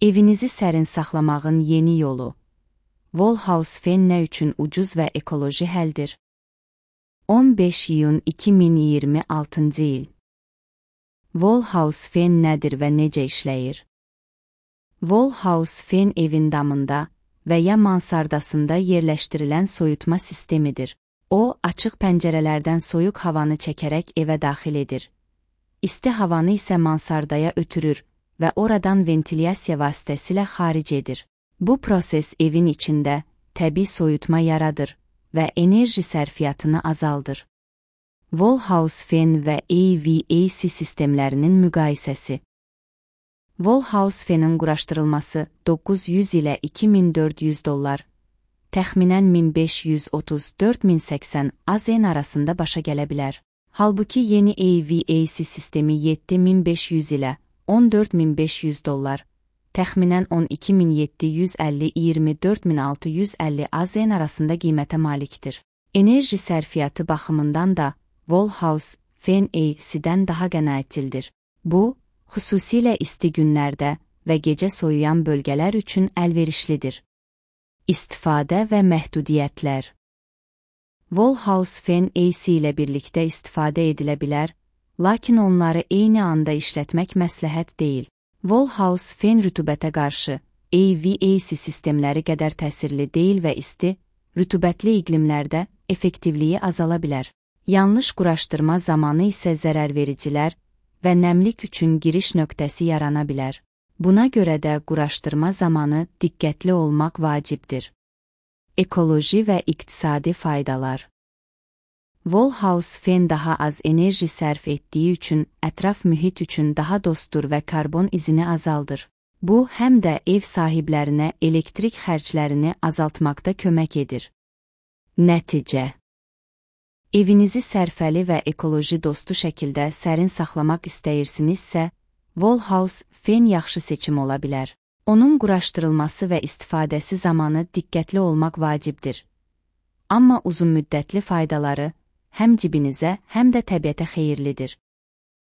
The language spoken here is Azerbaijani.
Evinizi sərin saxlamağın yeni yolu. Wallhouse fen nə üçün ucuz və ekoloji həldir? 15 iyun 2026 il. Wallhouse fen nədir və necə işləyir? Wallhouse fen evin damında və ya mansardasında yerləşdirilən soyutma sistemidir. O, açıq pəncərələrdən soyuq havanı çəkərək evə daxil edir. İsti havanı isə mansardaya ötürür və oradan ventilyasiya vasitəsilə xaric edir. Bu proses evin içində təbii soyutma yaradır və enerji sərfiyyatını azaldır. Wallhouse fen və HVAC sistemlərinin müqayisəsi. Wallhouse fenin quraşdırılması $900 ilə $2400, təxminən 1530-4080 AZN arasında başa gələ bilər. Halbuki yeni HVAC sistemi $7500 ilə $14500, təxminən 12750-24650 AZN arasında qiymətə malikdir. Enerji sərfiyyatı baxımından da Wallhouse fen AC-dən daha qənaətçildir. Bu, xüsusilə isti günlərdə və gecə soyuyan bölgələr üçün əlverişlidir. İstifadə və məhdudiyyətlər. Wallhouse fen AC ilə birlikdə istifadə edilə bilər, lakin onları eyni anda işlətmək məsləhət deyil. Wallhouse fen rütubətə qarşı HVAC sistemləri qədər təsirli deyil və isti, rütubətli iqlimlərdə effektivliyi azala bilər. Yanlış quraşdırma zamanı isə zərərvericilər və nəmlik üçün giriş nöqtəsi yarana bilər. Buna görə də quraşdırma zamanı diqqətli olmaq vacibdir. Ekoloji və iqtisadi faydalar. Wallhouse fen daha az enerji sərf etdiyi üçün ətraf mühit üçün daha dostdur və karbon izini azaldır. Bu, həm də ev sahiblərinə elektrik xərclərini azaltmaqda kömək edir. Nəticə. Evinizi sərfəli və ekoloji dostu şəkildə sərin saxlamaq istəyirsinizsə, Wallhouse fen yaxşı seçim ola bilər. Onun quraşdırılması və istifadəsi zamanı diqqətli olmaq vacibdir. Amma uzunmüddətli faydaları həm cibinizə, həm də təbiətə xeyirlidir.